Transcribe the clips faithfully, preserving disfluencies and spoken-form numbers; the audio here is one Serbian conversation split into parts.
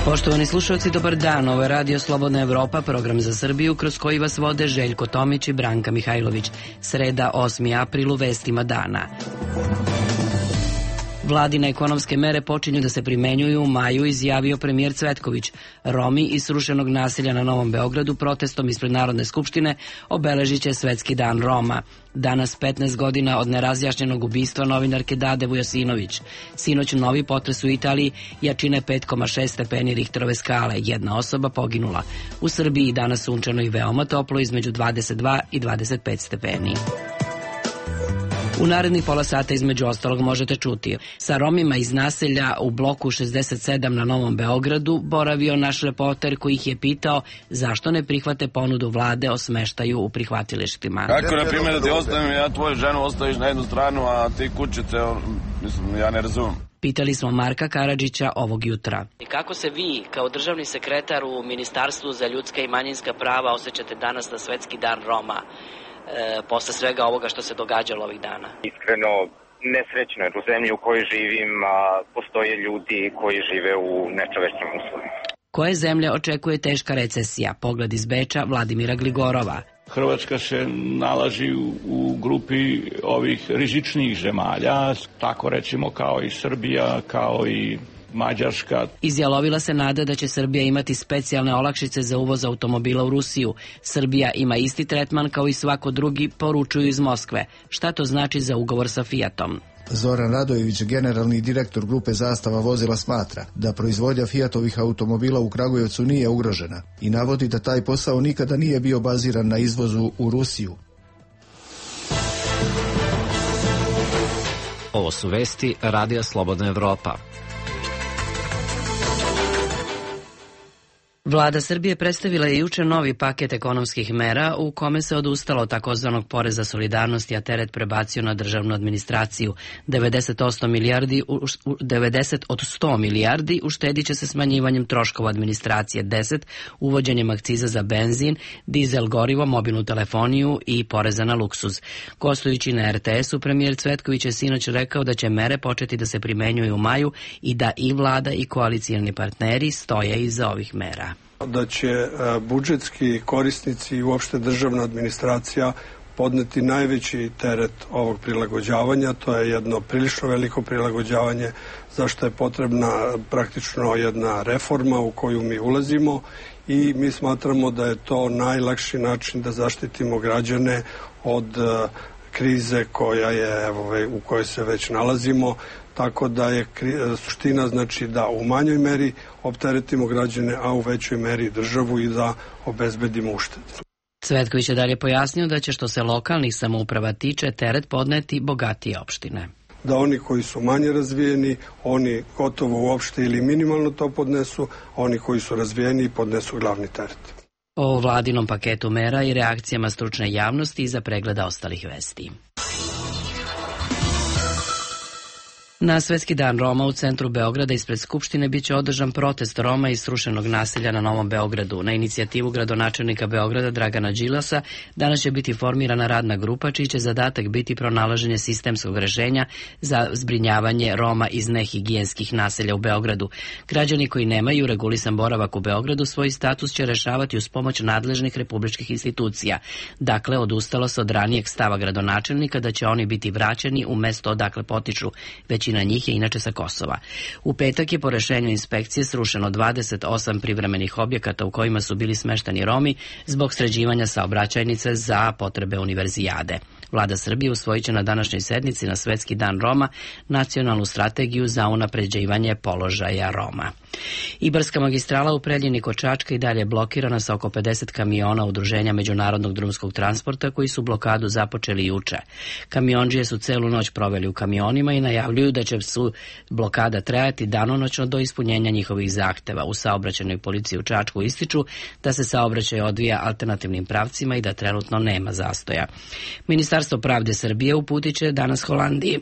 Poštovani slušalci, dobar dan. Ovo je Radio Slobodna Evropa, program za Srbiju, kroz koji vas vode Željko Tomić i Branka Mihajlović. Sreda, osmi april, u vestima dana. Vladine ekonomske mere počinju da se primenjuju u maju, izjavio premijer Cvetković. Romi iz srušenog naselja na Novom Beogradu protestom ispred Narodne skupštine obeležit će Svetski dan Roma. Danas petnaest godina od nerazjašnjenog ubistva novinarke Dade Vujasinović. Sinoć novi potres u Italiji, jačine pet zarez šest stepeni Richterove skale. Jedna osoba poginula. U Srbiji danas sunčano i veoma toplo, između dvadeset dva i dvadeset pet stepeni. U narednih pola sata između ostalog možete čuti: sa Romima iz naselja u bloku šezdeset sedam na Novom Beogradu boravio naš reporter koji ih je pitao zašto ne prihvate ponudu vlade o smeštaju u prihvatilištima. Kako, na primjer, da ti ostavim ja tvoju ženu, ostaviš na jednu stranu, a ti kućice, mislim, ja ne razumem. Pitali smo Marka Karadžića ovog jutra. I kako se vi, kao državni sekretar u Ministarstvu za ljudska i manjinska prava, osjećate danas na Svetski dan Roma? E, posle svega ovoga što se događalo ovih dana? Iskreno, nesrećno jer u zemlji u kojoj živim a, postoje ljudi koji žive u nečovečnim uslovima. Koje zemlje očekuje teška recesija? Pogled iz Beča Vladimira Gligorova. Hrvatska se nalazi u, u grupi ovih rizičnijih zemalja, tako recimo kao i Srbija, kao i Mađarska. Izjalovila se nada da će Srbija imati specijalne olakšice za uvoz automobila u Rusiju. Srbija ima isti tretman kao i svako drugi, poručuju iz Moskve. Šta to znači za ugovor sa Fiatom? Zoran Radojević, generalni direktor grupe Zastava vozila, smatra da proizvodnja Fiatovih automobila u Kragujevcu nije ugrožena i navodi da taj posao nikada nije bio baziran na izvozu u Rusiju. Ovo su vesti Radija Slobodna Evropa. Vlada Srbije predstavila je juče novi paket ekonomskih mera u kome se odustalo od takozvanog poreza solidarnosti, a teret prebacio na državnu administraciju. devedeset od sto milijardi uštedit će se smanjivanjem troškova administracije, deset uvođenjem akciza za benzin, dizel gorivo, mobilnu telefoniju i poreza na luksuz. Gostujući na er te esu, premijer Cvetković je sinoć rekao da će mere početi da se primenjuju u maju i da i vlada i koalicioni partneri stoje iza ovih mera. Da će budžetski korisnici i uopšte državna administracija podneti najveći teret ovog prilagođavanja. To je jedno prilično veliko prilagođavanje, zašto je potrebna praktično jedna reforma u koju mi ulazimo i mi smatramo da je to najlakši način da zaštitimo građane od krize koja je, evo, u kojoj se već nalazimo. Tako da je suština, znači, da u manjoj meri opteretimo građane, a u većoj meri državu i da obezbedimo uštede. Cvetković je dalje pojasnio da će, što se lokalnih samouprava tiče, teret podneti bogatije opštine. Da oni koji su manje razvijeni, oni gotovo uopšte ili minimalno to podnesu, a oni koji su razvijeni podnesu glavni teret. O vladinom paketu mera i reakcijama stručne javnosti iza pregleda ostalih vesti. Na Svetski dan Roma u centru Beograda ispred Skupštine biće održan protest Roma iz srušenog naselja na Novom Beogradu. Na inicijativu gradonačelnika Beograda Dragana Đilasa danas će biti formirana radna grupa čiji će zadatak biti pronalaženje sistemskog rešenja za zbrinjavanje Roma iz nehigijenskih naselja u Beogradu. Građani koji nemaju regulisan boravak u Beogradu svoj status će rešavati uz pomoć nadležnih republičkih institucija. Dakle, odustalo se od ranijeg stava gradonačelnika da će oni biti vraćeni u mesto odakle potiču, već na njih je inače sa Kosova. U petak je po rešenju inspekcije srušeno dvadeset osam privremenih objekata u kojima su bili smešteni Romi zbog sređivanja saobraćajnice za potrebe univerzijade. Vlada Srbije usvojit će na današnjoj sednici na Svetski dan Roma nacionalnu strategiju za unapređivanje položaja Roma. Ibarska magistrala u Preljini kod Čačka i dalje blokirana sa oko pedeset kamiona Udruženja međunarodnog drumskog transporta koji su blokadu započeli juče. Kamiondžije su celu noć proveli u kamionima i najavljuju da će su blokada trajati danonoćno do ispunjenja njihovih zahteva. U saobraćajnoj policiji u Čačku ističu da se saobraćaj odvija alternativnim pravcima i da trenutno nema zastoja. Ministarstvo pravde Srbije uputit će danas Holandiji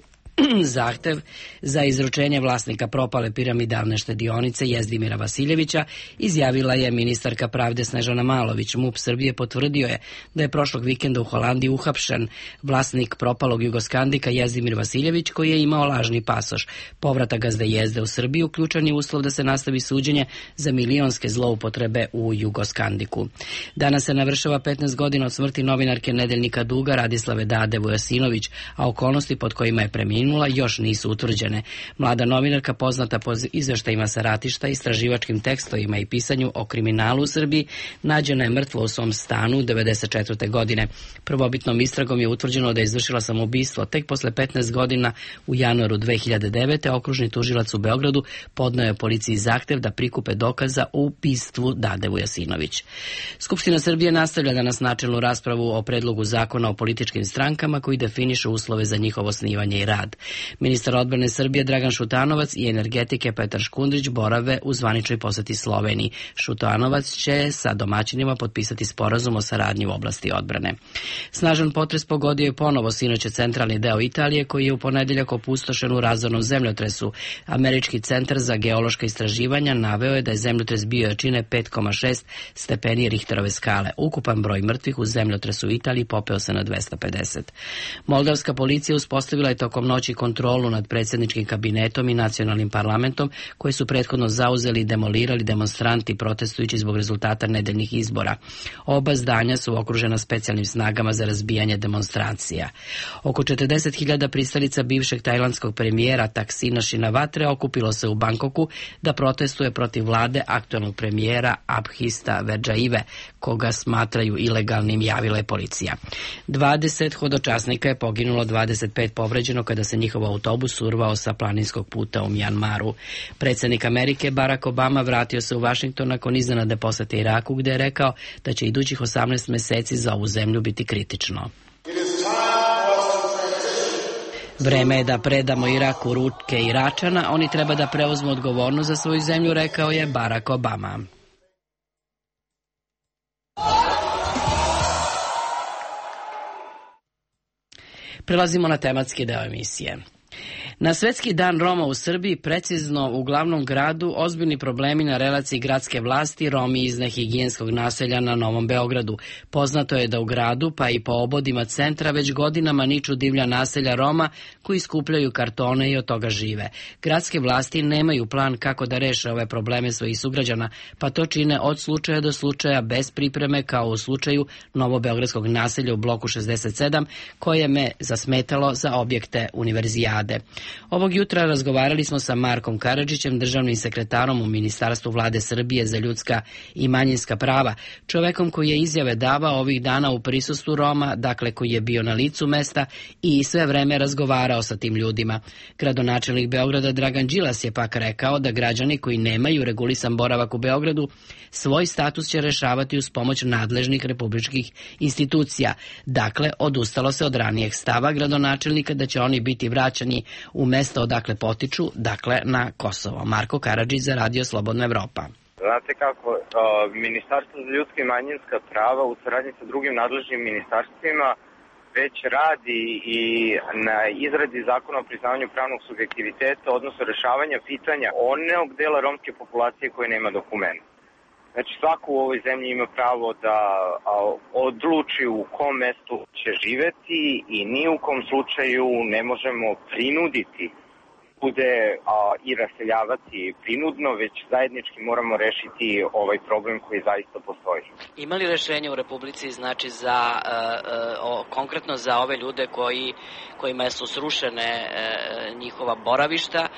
zahtev za izručenje vlasnika propale piramidalne štedionice Jezdimira Vasiljevića izjavila je ministarka pravde Snežana Malović. MUP Srbije potvrdio je da je prošlog vikenda u Holandiji uhapšen vlasnik propalog Jugoskandika Jezdimir Vasiljević, koji je imao lažni pasoš. Povratak gazde Jezde u Srbiju ključan je uslov da se nastavi suđenje za milionske zloupotrebe u Jugoskandiku. Danas se navršava petnaest godina od smrti novinarke Nedeljnika Duga Radislave Dade Vujasinović, a okolnosti pod kojima je preminula još nisu utvrđene. Mlada novinarka, poznata po izveštajima sa ratišta, istraživačkim tekstovima i pisanju o kriminalu u Srbiji, nađena je mrtva u svom stanu devedeset četvrte godine. Prvobitnom istragom je utvrđeno da je izvršila samoubistvo. Tek posle petnaest godina u januaru dve hiljade devete. okružni tužilac u Beogradu podneo je policiji zahtev da prikupe dokaza u ubistvu Dade Vujasinović. Skupština Srbije nastavlja danas načelnu raspravu o predlogu zakona o političkim strankama koji definišu uslove za njihovo osnivanje i rad. Ministar odbrane Srbije Dragan Šutanovac i energetike Petar Škundrić borave u zvaničnoj poseti Sloveniji. Šutanovac će sa domaćinima potpisati sporazum o saradnji u oblasti odbrane. Snažan potres pogodio je ponovo sinoć centralni deo Italije, koji je u ponedeljak opustošen u razornom zemljotresu. Američki centar za geološka istraživanja naveo je da je zemljotres bio jačine pet zarez šest stepeni Richterove skale. Ukupan broj mrtvih u zemljotresu u Italiji popeo se na dvesta pedeset. Moldavska policija uspostavila je tokom noći kontrolu nad predsjedničkim kabinetom i nacionalnim parlamentom, koje su prethodno zauzeli i demolirali demonstranti protestujući zbog rezultata nedeljnih izbora. Oba zdanja su okružena specijalnim snagama za razbijanje demonstracija. Oko četrdeset hiljada pristalica bivšeg tajlandskog premijera Taksina Shinawatre okupilo se u Bangkoku da protestuje protiv vlade aktualnog premijera Abhista Verđaive, koga smatraju ilegalnim, javila je policija. dvadeset hodočasnika je poginulo, dvadeset pet povređeno kada se njihov autobus urvao sa planinskog puta u Mjanmaru. Predsjednik Amerike Barack Obama vratio se u Vašington nakon iznenadne posete Iraku, gde je rekao da će idućih osamnaest meseci za ovu zemlju biti kritično. Vreme je da predamo Irak u ruke Iračana, oni treba da preuzmu odgovornost za svoju zemlju, rekao je Barack Obama. Prelazimo na tematski deo emisije. Na Svetski dan Roma u Srbiji, precizno u glavnom gradu, ozbiljni problemi na relaciji gradske vlasti, Romi iz nehigijenskog naselja na Novom Beogradu. Poznato je da u gradu, pa i po obodima centra, već godinama niču divlja naselja Roma koji skupljaju kartone i od toga žive. Gradske vlasti nemaju plan kako da reše ove probleme svojih sugrađana, pa to čine od slučaja do slučaja bez pripreme, kao u slučaju novobeogradskog naselja u bloku šezdeset sedam, koje me zasmetalo za objekte univerzijade. Ovog jutra razgovarali smo sa Markom Karadžićem, državnim sekretarom u Ministarstvu vlade Srbije za ljudska i manjinska prava, čovekom koji je izjave davao ovih dana u prisustvu Roma, dakle koji je bio na licu mesta i sve vreme razgovarao sa tim ljudima. Gradonačelnik Beograda Dragan Đilas je pak rekao da građani koji nemaju regulisan boravak u Beogradu svoj status će rešavati uz pomoć nadležnih republičkih institucija. Dakle, odustalo se od ranijeg stava gradonačelnika da će oni biti vraćani u mesto odakle potiču, dakle na Kosovo. Marko Karadžić za Radio Slobodna Evropa. Znate kako, Ministarstvo za ljudska i manjinska prava u saradnji sa drugim nadležnim ministarstvima već radi i na izradi zakona o priznavanju pravnog subjektiviteta, odnosno rešavanja pitanja onog dela romske populacije koje nema dokumenta. Znači, svako u ovoj zemlji ima pravo da odluči u kom mestu će živeti i ni u kom slučaju ne možemo prinuditi bude a, i raseljavati prinudno, već zajednički moramo rešiti ovaj problem koji zaista postoji. Ima li rešenje u Republici, znači za e, o, konkretno za ove ljude koji, kojima su srušene e, njihova boravišta, e,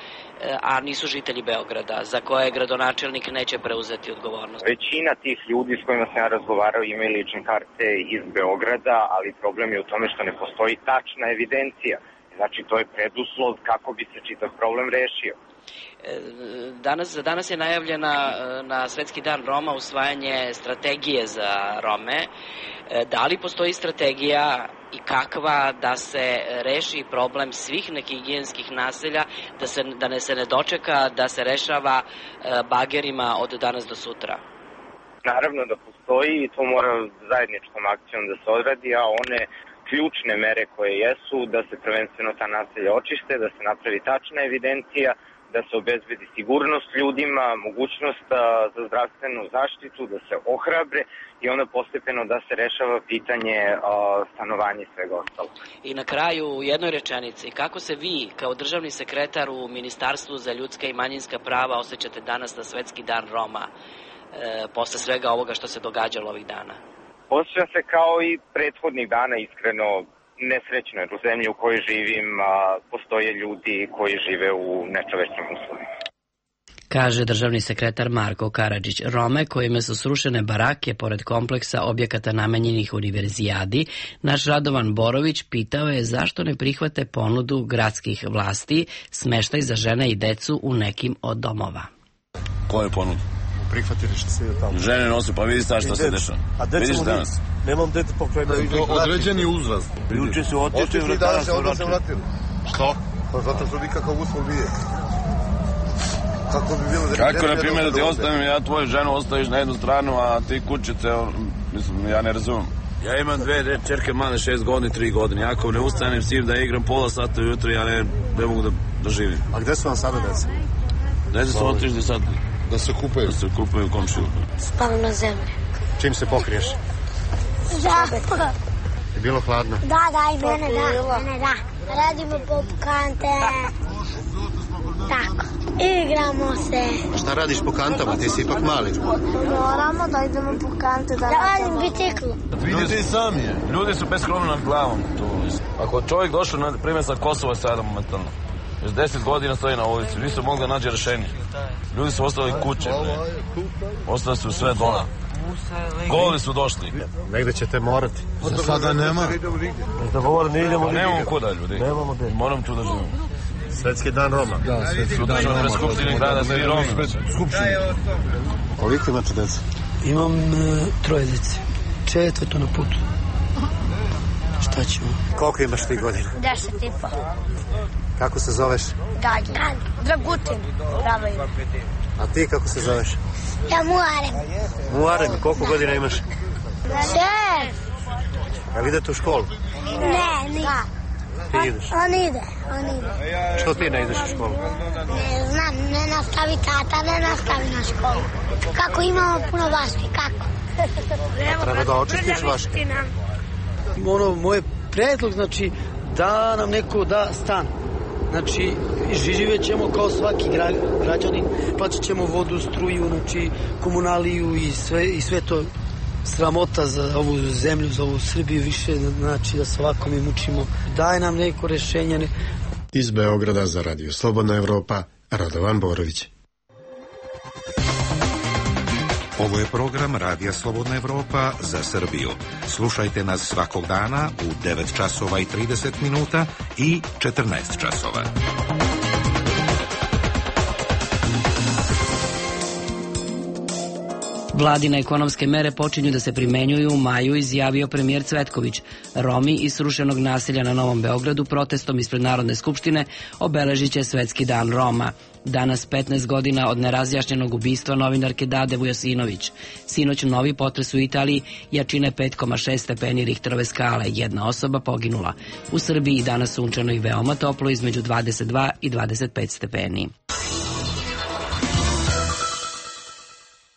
a nisu žitelji Beograda, za koje gradonačelnik neće preuzeti odgovornost? Većina tih ljudi s kojima sam ja razgovarao imaju lične karte iz Beograda, ali problem je u tome što ne postoji tačna evidencija. Znači, to je preduslov kako bi se čitav problem rešio. Danas, danas je najavljena na Svetski dan Roma usvajanje strategije za Rome. Da li postoji strategija i kakva da se reši problem svih nehigijenskih naselja, da, se, da ne se ne dočeka da se rešava bagerima od danas do sutra? Naravno da postoji i to mora zajedničkom akcijom da se odradi, a one ključne mere koje jesu, da se prvenstveno ta naselja očiste, da se napravi tačna evidencija, da se obezbedi sigurnost ljudima, mogućnost za zdravstvenu zaštitu, da se ohrabre i onda postepeno da se rešava pitanje stanovanja i svega ostalo. I na kraju u jednoj rečenici, kako se vi kao državni sekretar u Ministarstvu za ljudska i manjinska prava osjećate danas na Svetski dan Roma, e, posle svega ovoga što se događalo ovih dana? Osjećam se kao i prethodnih dana, iskreno nesrećno, jer u zemlji u kojoj živim a, postoje ljudi koji žive u nečovečnim uslovima. Kaže državni sekretar Marko Karadžić. Rome kojima su srušene barake pored kompleksa objekata namenjenih univerzijadi, naš Radovan Borović pitao je zašto ne prihvate ponudu gradskih vlasti smeštaj za žene i decu u nekim od domova. Ko je ponudu? Prihvatili što se je tamo. Žene nose, pa vidi sad šta se dešava. Vidiš danas? Nemam dete pokrajna. Određeni uzrast. Juče su otišli, danas se odnosno vratili. Što? Pa zato što nikakav uslov nije. Kako bi bilo da... Kako, na primjer, da ti ostavim, ja tvoju ženu ostaviš na jednu stranu, a ti kućice, mislim, ja ne razumem. Ja imam dve čerke male, šest godina, tri godine. Ako ne ustanem s njim da igram pola sata ujutro, ja ne, ne mogu da, da živim. A gde su vam sada deca? Deca su otišli sad. Da se kupaju? Da se kupaju u komšiju. Spavam na zemlji. Čim se pokriješ? Da. Je bilo hladno? Da, da, i mene da. Mene da. Radimo popkante. Tako. Igramo se. A šta radiš po kantama? Ti si ipak mali. Moramo da idemo po kante. Da radim biciklu. Ljudi sami je. Ljudi su bez krova nad glavom. Ako čovjek došao, na primjer, sa Kosova sada momentalno, još deset godina stoji na ulici, nisu mogli da nađe rešenje. Ljudi su ostali kuće, ostali su sve dole. Goli su došli. Negde ćete morati. Za sada nema. Da govor, ne idemo. Nemamo kuda, ljudi. Moram tu da živim. Svetski dan Roma. Da, Svetski dan Roma. U Skupštini grada svi Romi. Koliko imate deca? Imam uh, troje dece. Četvrto na putu. Šta ćemo? Koliko imaš ti godina? Deset i po. Kako se zoveš? Gađa. Dragutin. Pravo ime. A ti kako se zoveš? Ja Muarem. Muarem, koliko godina imaš? Šest. Jel idete u školu? Ne, ni. Ti ideš? On ide, on ide. Što ti ne ideš u školu? Ne znam, ne nastavi tata, ne nastavi na školu. Kako imamo puno vaške, kako? Treba da očistiš vaške. Ono, moj predlog, znači, da nam neko da stan. Znači, živjet ćemo kao svaki gra, građanin, plaćat ćemo vodu, struju, znači, komunaliju i sve, i sve to sramota za ovu zemlju, za ovu Srbiju, više, znači, da se ovako mi mučimo. Daj nam neko rešenje. Ne... Iz Beograda za Radio Slobodna Evropa, Radovan Borović. Ovo je program Radija Slobodna Evropa za Srbiju. Slušajte nas svakog dana u devet časova i trideset minuta i četrnaest časova. Vladine ekonomske mere počinju da se primenjuju u maju, izjavio premijer Cvetković. Romi iz srušenog naselja na Novom Beogradu protestom ispred Narodne skupštine obeležit će Svetski dan Roma. Danas petnaest godina od nerazjašnjenog ubistva novinarke Dade Vujosinović. Sinoć novi potres u Italiji, jačine pet zarez šest stepeni Richterove skale. Jedna osoba poginula. U Srbiji danas sunčano i veoma toplo, između dvadeset dva i dvadeset pet stepeni.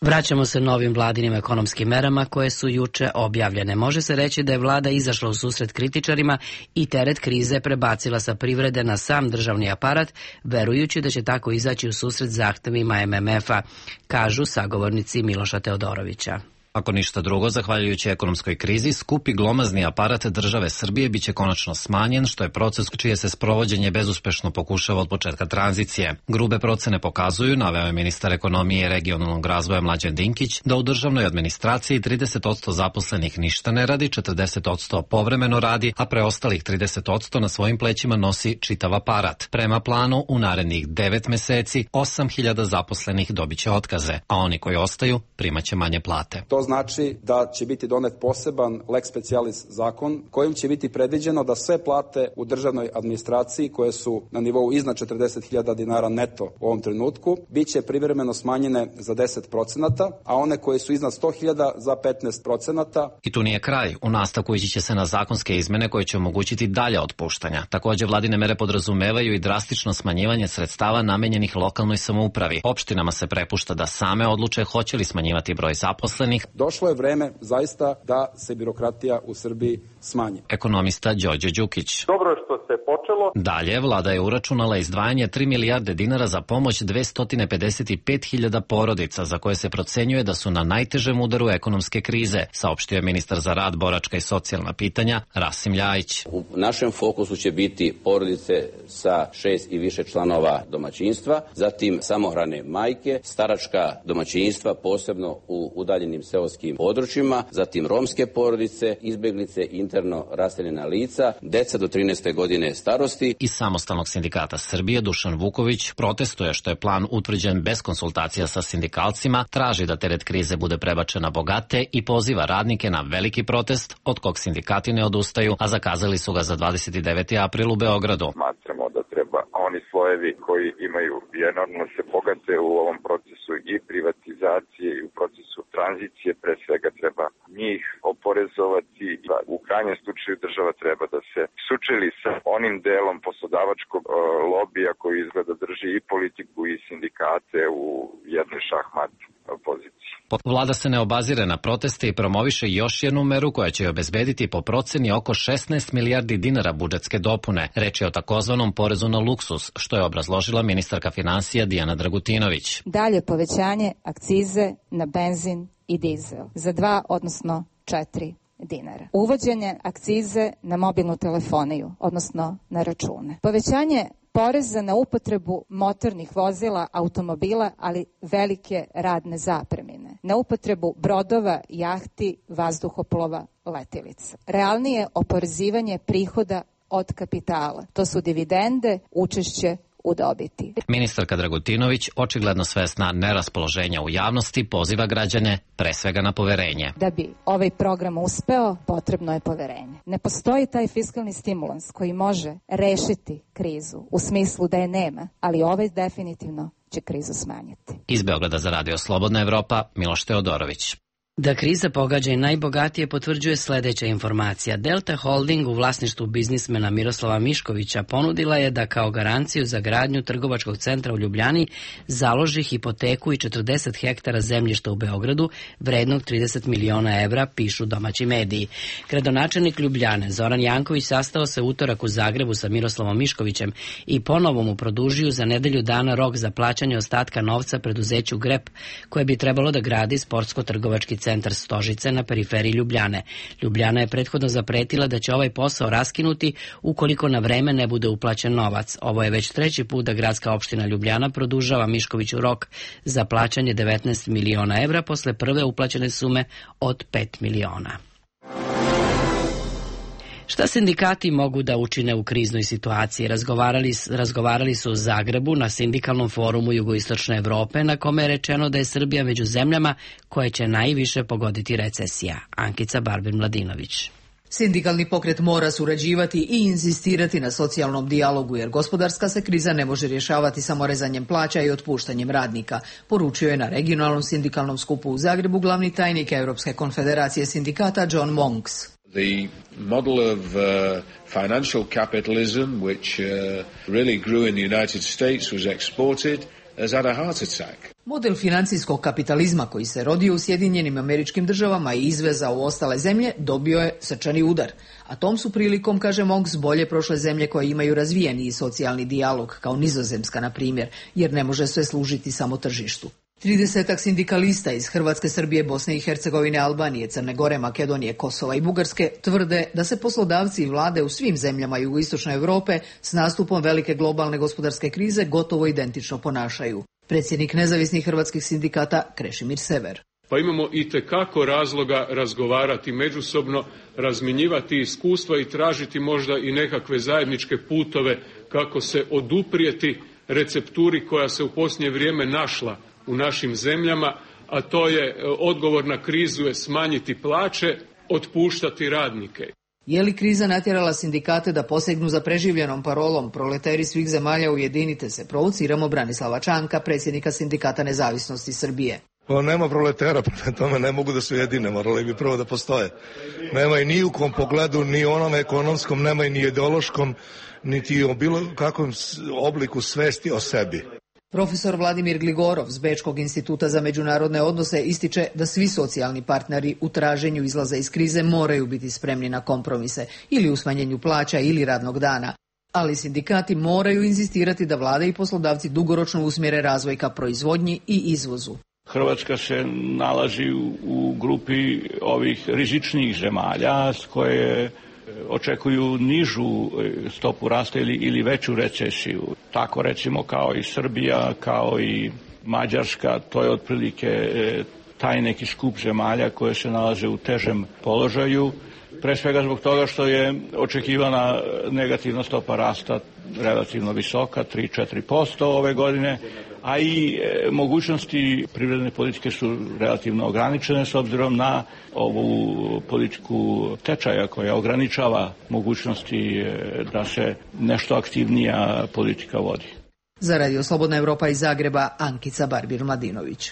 Vraćamo se novim vladinim ekonomskim merama koje su juče objavljene. Može se reći da je vlada izašla u susret kritičarima i teret krize prebacila sa privrede na sam državni aparat, verujući da će tako izaći u susret zahtevima M M F-a, kažu sagovornici Miloša Teodorovića. Ako ništa drugo, zahvaljujući ekonomskoj krizi, skupi glomazni aparat države Srbije biće konačno smanjen, što je proces čije se sprovođenje bezuspešno pokušava od početka tranzicije. Grube procene pokazuju, naveo je ministar ekonomije i regionalnog razvoja Mlađan Dinkić, da u državnoj administraciji trideset posto zaposlenih ništa ne radi, četrdeset posto povremeno radi, a preostalih trideset posto na svojim plećima nosi čitav aparat. Prema planu, u narednih devet meseci osam hiljada zaposlenih dobiće otkaze, a oni koji ostaju primaće manje plate. To znači da će biti donet poseban lex specialis zakon kojim će biti predviđeno da sve plate u državnoj administraciji koje su na nivou iznad četrdeset hiljada dinara neto u ovom trenutku biće privremeno smanjene za deset procenata, a one koje su iznad sto hiljada za petnaest procenata. I tu nije kraj. U nastavku ići će se na zakonske izmene koje će omogućiti dalje otpuštanja. Takođe, vladine mere podrazumevaju i drastično smanjivanje sredstava namenjenih lokalnoj samoupravi. Opštinama se prepušta da same odluče hoće li smanjivati broj zaposlenih. Došlo je vreme zaista da se birokratija u Srbiji smanji. Ekonomista Đorđe Đukić. Dobro je što se počelo. Dalje, vlada je uračunala izdvajanje tri milijarde dinara za pomoć dvesta pedeset pet hiljada porodica za koje se procenjuje da su na najtežem udaru ekonomske krize, saopštio je ministar za rad, boračka i socijalna pitanja Rasim Ljajić. U našem fokusu će biti porodice sa šest i više članova domaćinstva, zatim samohrane majke, staračka domaćinstva, posebno u udaljenim seoskim područjima, zatim romske porodice, izbeglice, interno raseljena lica, deca do trinaeste godine starosti. Iz Samostalnog sindikata Srbije Dušan Vuković protestuje što je plan utvrđen bez konsultacija sa sindikalcima, traži da teret krize bude prebačen na bogate i poziva radnike na veliki protest od kog sindikati ne odustaju, a zakazali su ga za dvadeset deveti april u Beogradu. Smatramo da treba oni slojevi koji imaju enormno se bogate u ovom procesu i privatizacije i u procesu tranzicije, pre svega treba njih oporezovati. U krajnjem slučaju država treba da se sučeli sa onim delom poslodavačkog lobija koji izgleda drži i politiku i sindikate u jednoj šahmat poziciji. Vlada se ne obazire na proteste i promoviše još jednu meru koja će obezbediti po proceni oko šesnaest milijardi dinara budžetske dopune. Reč je o takozvanom porezu na luksus, što je obrazložila ministarka finansija Dijana Dragutinović. Dalje povećanje akcize na benzin i dizel za dva, odnosno četiri dinara. Uvođenje akcize na mobilnu telefoniju, odnosno na račune. Povećanje poreza na upotrebu motornih vozila, automobila, ali velike radne zapremine. Na upotrebu brodova, jahti, vazduhoplova, letilica. Realnije oporezivanje prihoda od kapitala. To su dividende, učešće u dobiti. Ministarka Dragutinović, očigledno svesna neraspoloženja u javnosti, poziva građane pre svega na poverenje. Da bi ovaj program uspeo, potrebno je poverenje. Ne postoji taj fiskalni stimulans koji može rešiti krizu u smislu da je nema, ali ovaj definitivno će krizu smanjiti. Iz Beograda za Radio Slobodna Evropa, Miloš Teodorović. Da kriza pogađa i najbogatije potvrđuje sledeća informacija. Delta Holding u vlasništvu biznismena Miroslava Miškovića ponudila je da kao garanciju za gradnju trgovačkog centra u Ljubljani založi hipoteku i četrdeset hektara zemljišta u Beogradu vrednog trideset miliona evra, pišu domaći mediji. Gradonačelnik Ljubljane Zoran Janković sastao se utorak u Zagrebu sa Miroslavom Miškovićem i ponovo mu produžio za nedelju dana rok za plaćanje ostatka novca preduzeću Grep, koje bi trebalo da gradi sportsko-trgovački centar Stožice na periferiji Ljubljane. Ljubljana je prethodno zapretila da će ovaj posao raskinuti ukoliko na vreme ne bude uplaćen novac. Ovo je već treći put da gradska opština Ljubljana produžava Miškoviću rok za plaćanje devetnaest miliona evra posle prve uplaćene sume od pet miliona. Šta sindikati mogu da učine u kriznoj situaciji? Razgovarali, razgovarali su u Zagrebu na sindikalnom forumu Jugoistočne Evrope, na kome je rečeno da je Srbija među zemljama koje će najviše pogoditi recesija. Ankica Barbin-Mladinović. Sindikalni pokret mora surađivati i insistirati na socijalnom dijalogu, jer gospodarska se kriza ne može rješavati samo rezanjem plaća i otpuštanjem radnika, poručio je na regionalnom sindikalnom skupu u Zagrebu glavni tajnik Europske konfederacije sindikata John Monks. The model of uh, financial capitalism, which uh, really grew in the United States, was exported, has had a heart attack. Model financijskog kapitalizma koji se rodio u Sjedinjenim Američkim Državama i izvezao u ostale zemlje dobio je srčani udar. A tom su prilikom, kaže Monks, bolje prošle zemlje koje imaju razvijeni socijalni dijalog, kao Nizozemska, na primjer, jer ne može sve služiti samo tržištu. Tridesetak sindikalista iz Hrvatske, Srbije, Bosne i Hercegovine, Albanije, Crne Gore, Makedonije, Kosova i Bugarske tvrde da se poslodavci i vlade u svim zemljama jugoistočne Europe s nastupom velike globalne gospodarske krize gotovo identično ponašaju. Predsjednik nezavisnih hrvatskih sindikata Krešimir Sever. Pa imamo i tekako razloga razgovarati međusobno, razmjenjivati iskustva i tražiti možda i nekakve zajedničke putove kako se oduprijeti recepturi koja se u posljednje vrijeme našla u našim zemljama, a to je odgovor na krizu je smanjiti plaće, otpuštati radnike. Je li kriza natjerala sindikate da posegnu za preživljenom parolom proleteri svih zemalja ujedinite se? Provociramo Branislava Čanka, predsjednika Sindikata nezavisnosti Srbije. Pa nema proletera, prema tome ne mogu da su jedine, morali bi prvo da postoje. Nema i ni u kom pogledu, ni onom ekonomskom, nema i ni ideološkom, niti o bilo kakvom obliku svesti o sebi. Profesor Vladimir Gligorov s Bečkog instituta za međunarodne odnose ističe da svi socijalni partneri u traženju izlaza iz krize moraju biti spremni na kompromise ili u smanjenju plaća ili radnog dana. Ali sindikati moraju inzistirati da vlada i poslodavci dugoročno usmjere razvoj ka proizvodnji i izvozu. Hrvatska se nalazi u grupi ovih rizičnijih zemalja s koje očekuju nižu stopu rasta ili, ili veću recesiju. Tako recimo kao i Srbija, kao i Mađarska, to je otprilike taj neki skup zemalja koje se nalaze u težem položaju. Pre svega zbog toga što je očekivana negativna stopa rasta relativno visoka, tri do četiri posto ove godine, a i e, mogućnosti privredne politike su relativno ograničene s obzirom na ovu politiku tečaja koja ograničava mogućnosti e, da se nešto aktivnija politika vodi. Za Radio Slobodna Evropa iz Zagreba, Ankica Barbir-Mladinović.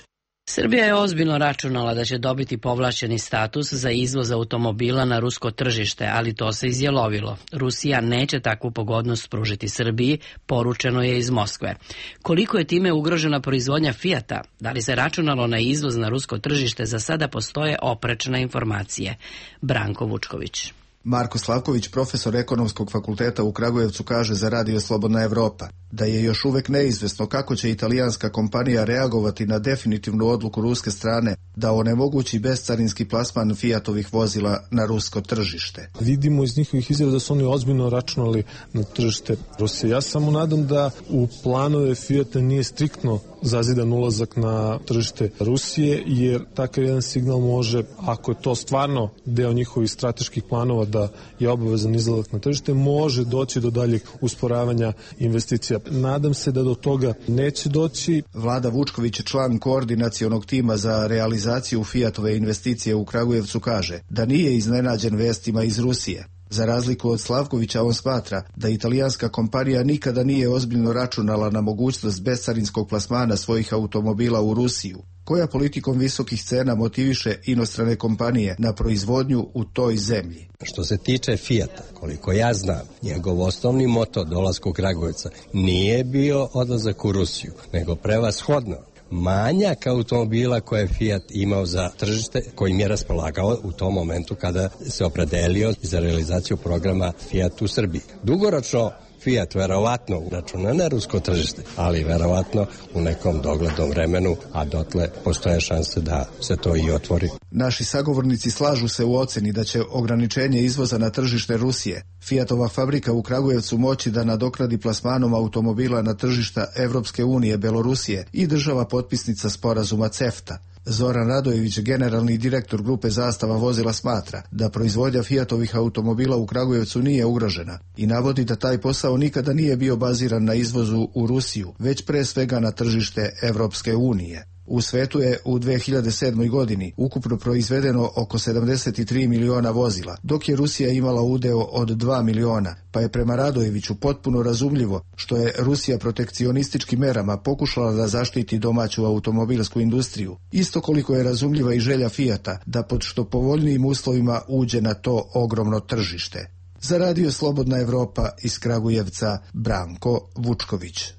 Srbija je ozbiljno računala da će dobiti povlašćeni status za izvoz automobila na rusko tržište, ali to se izjelovilo. Rusija neće takvu pogodnost pružiti Srbiji, poručeno je iz Moskve. Koliko je time ugrožena proizvodnja Fijata? Da li se računalo na izvoz na rusko tržište? Za sada postoje oprečne informacije. Branko Vučković. Marko Slavković, profesor Ekonomskog fakulteta u Kragujevcu, kaže za Radio Slobodna Evropa da je još uvek neizvesno kako će italijanska kompanija reagovati na definitivnu odluku ruske strane da onemogući bescarinski plasman Fiatovih vozila na rusko tržište. Vidimo iz njihovih izjava da su oni ozbiljno računali na tržište Rusije. Ja samo nadam da u planove Fiata nije striktno zazidan ulazak na tržište Rusije, jer takav jedan signal može, ako je to stvarno deo njihovih strateških planova da je obavezan izlazak na tržište, može doći do daljeg usporavanja investicija. Nadam se da do toga neće doći. Vlada Vučković, član koordinacionog tima za realizaciju Fiatove investicije u Kragujevcu, kaže da nije iznenađen vestima iz Rusije. Za razliku od Slavkovića, on smatra da italijanska kompanija nikada nije ozbiljno računala na mogućnost bescarinskog plasmana svojih automobila u Rusiju, koja politikom visokih cena motiviše inostrane kompanije na proizvodnju u toj zemlji. Što se tiče Fijata, koliko ja znam, njegov osnovni moto dolaska u Kragujevca nije bio odlazak u Rusiju, nego prevashodno manjak automobila koje je Fiat imao za tržište, kojim je raspolagao u tom momentu kada se opredelio za realizaciju programa Fiat u Srbiji. Dugoročno Fiat verovatno računa na rusko tržište, ali verovatno u nekom doglednom vremenu, a dotle postoje šanse da se to i otvori. Naši sagovornici slažu se u oceni da će ograničenje izvoza na tržište Rusije Fiatova fabrika u Kragujevcu moći da nadokradi plasmanom automobila na tržišta Evropske unije, Belorusije i država potpisnica sporazuma CEFTA. Zoran Radojević, generalni direktor grupe Zastava vozila, smatra da proizvodnja Fiatovih automobila u Kragujevcu nije ugrožena i navodi da taj posao nikada nije bio baziran na izvozu u Rusiju, već pre svega na tržište Evropske unije. U svetu je u dve hiljade sedmoj. godini ukupno proizvedeno oko sedamdeset tri miliona vozila, dok je Rusija imala udeo od dva miliona, pa je prema Radojeviću potpuno razumljivo što je Rusija protekcionističkim merama pokušala da zaštiti domaću automobilsku industriju. Isto koliko je razumljiva i želja Fijata da pod što povoljnijim uslovima uđe na to ogromno tržište. Za Radio Slobodna Evropa iz Kragujevca, Branko Vučković.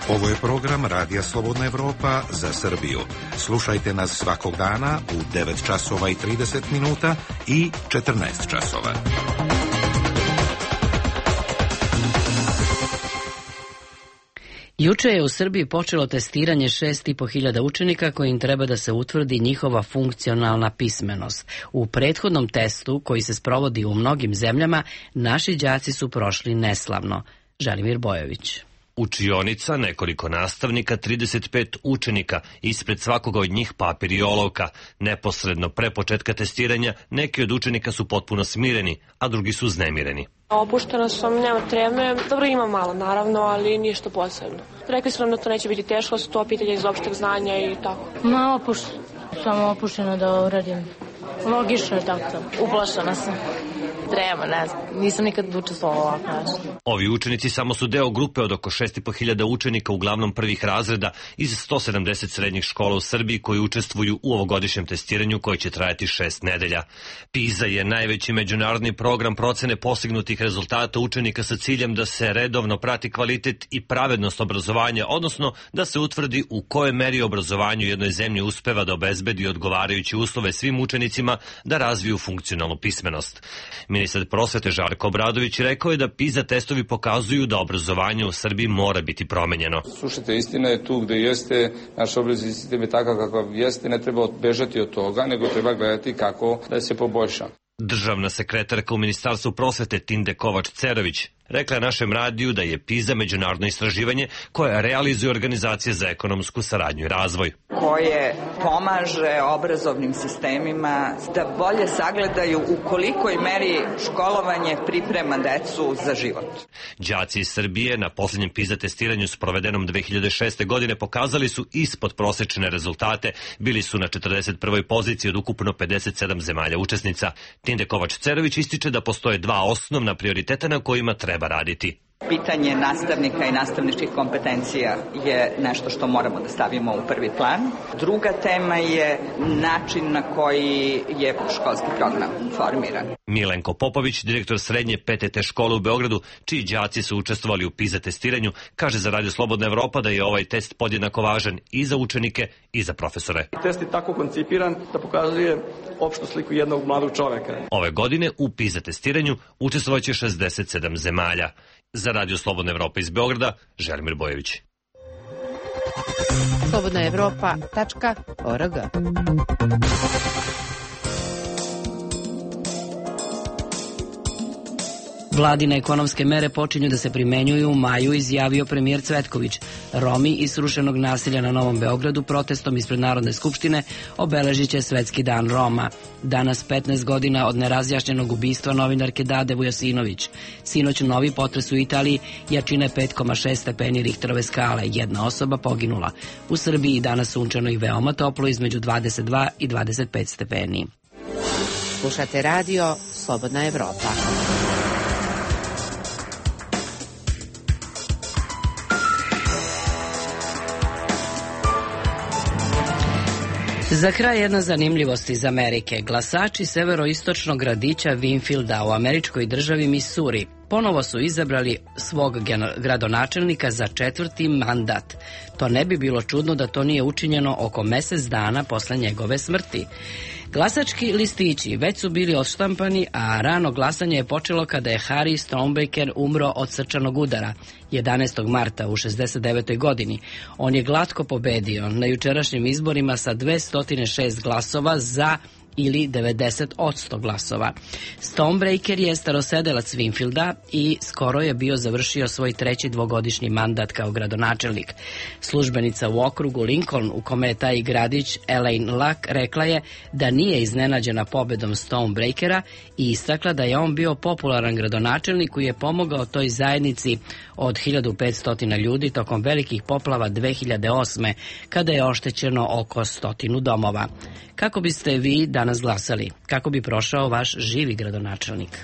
Ovo je program Radija Slobodna Evropa za Srbiju. Slušajte nas svakog dana u devet časova i trideset minuta i četrnaest časova. Juče je u Srbiji počelo testiranje šest i po hiljada učenika kojim treba da se utvrdi njihova funkcionalna pismenost. U prethodnom testu, koji se sprovodi u mnogim zemljama, naši đaci su prošli neslavno. Želimir Bojović. Učionica, nekoliko nastavnika, trideset pet učenika, ispred svakoga od njih papir i olovka. Neposredno pre početka testiranja neki od učenika su potpuno smireni, a drugi su uznemireni. Opuštena sam, nema treme. Dobro, ima malo, naravno, ali ništa posebno. Rekli su nam da to neće biti teško, su to pitanje iz opšteg znanja i tako. Ma, opuštena. Samo opuštena da uradim. Logično je tako. Uplašena sam. Trema, ne znam. Nisam nikad učestvovala ovako nešto. Ovi učenici samo su deo grupe od oko šest i po hiljada učenika, uglavnom prvih razreda, iz sto sedamdeset srednjih škola u Srbiji koji učestvuju u ovogodišnjem testiranju koje će trajati šest nedelja. PISA je najveći međunarodni program procene postignutih rezultata učenika sa ciljem da se redovno prati kvalitet i pravednost obrazovanja, odnosno da se utvrdi u kojoj meri obrazovanju jednoj zemlji uspeva da obezbedi odgovarajuće uslove svim učenicima da razviju funkcionalnu pismenost. Ministar prosvete Žarko Obradović rekao je da PISA testovi pokazuju da obrazovanje u Srbiji mora biti promenjeno. Slušajte, istina je tu gde jeste, naš obrazovni sistem je takav kakav jeste, ne treba bežati od toga, nego treba gledati kako da se poboljša. Državna sekretarka u Ministarstvu prosvete Tinde Kovač-Cerović rekla je našem radiju da je PISA međunarodno istraživanje koje realizuje Organizacija za ekonomsku saradnju i razvoj. Koje pomaže obrazovnim sistemima da bolje sagledaju u kolikoj meri školovanje priprema decu za život. Đaci iz Srbije na posljednjem PISA testiranju sprovedenom dve hiljade šeste. godine pokazali su ispod prosečne rezultate, bili su na četrdeset prvoj poziciji od ukupno pedeset sedam zemalja učesnica. Tinde Kovač-Cerović ističe da postoje dva osnovna prioriteta na kojima treba raditi. Pitanje nastavnika i nastavničkih kompetencija je nešto što moramo da stavimo u prvi plan. Druga tema je način na koji je školski program formiran. Milenko Popović, direktor srednje P T T škole u Beogradu, čiji đaci su učestvovali u PISA testiranju, kaže za Radio Slobodna Evropa da je ovaj test podjednako važan i za učenike i za profesore. Test je tako koncipiran da pokazuje opštu sliku jednog mladog čoveka. Ove godine u PISA testiranju učestvovaće šezdeset sedam zemalja. Za Radio Slobodna Evropa iz Beograda, Želimir Bojević. slobodna evropa tačka org. Vladine ekonomske mere počinju da se primenjuju u maju, izjavio premijer Cvetković. Romi iz srušenog nasilja na Novom Beogradu protestom ispred Narodne skupštine obeležit će Svetski dan Roma. Danas petnaest godina od nerazjašnjenog ubistva novinarke Dade Vujasinović. Sinoć novi potres u Italiji, jačine pet zarez šest stepeni Richterove skale. Jedna osoba poginula. U Srbiji danas sunčano i veoma toplo, između dvadeset dva i dvadeset pet stepeni. Slušate radio Slobodna Evropa. Za kraj jedna zanimljivost iz Amerike. Glasači severoistočnog gradića Winfielda u američkoj državi Missouri ponovo su izabrali svog gradonačelnika za četvrti mandat. To ne bi bilo čudno da to nije učinjeno oko mesec dana posle njegove smrti. Glasački listići već su bili odštampani, a rano glasanje je počelo kada je Harry Stonebaker umro od srčanog udara jedanaestog marta u šezdeset devetoj godini. On je glatko pobedio na jučerašnjim izborima sa dvesta šest glasova za ili devedeset posto glasova. Stonebreaker je starosedelac Winfielda i skoro je bio završio svoj treći dvogodišnji mandat kao gradonačelnik. Službenica u okrugu Lincoln, u kome je taj gradić, Elaine Luck, rekla je da nije iznenađena pobedom Stonebreakera i istakla da je on bio popularan gradonačelnik koji je pomogao toj zajednici od hiljadu petsto ljudi tokom velikih poplava dve hiljade osme. kada je oštećeno oko stotinu domova. Kako biste vi danas glasali? Kako bi prošao vaš živi gradonačelnik?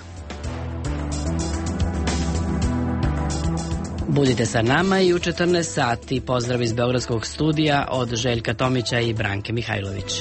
Budite sa nama i u četrnaest sati. Pozdrav iz Beogradskog studija od Željka Tomića i Branke Mihajlović.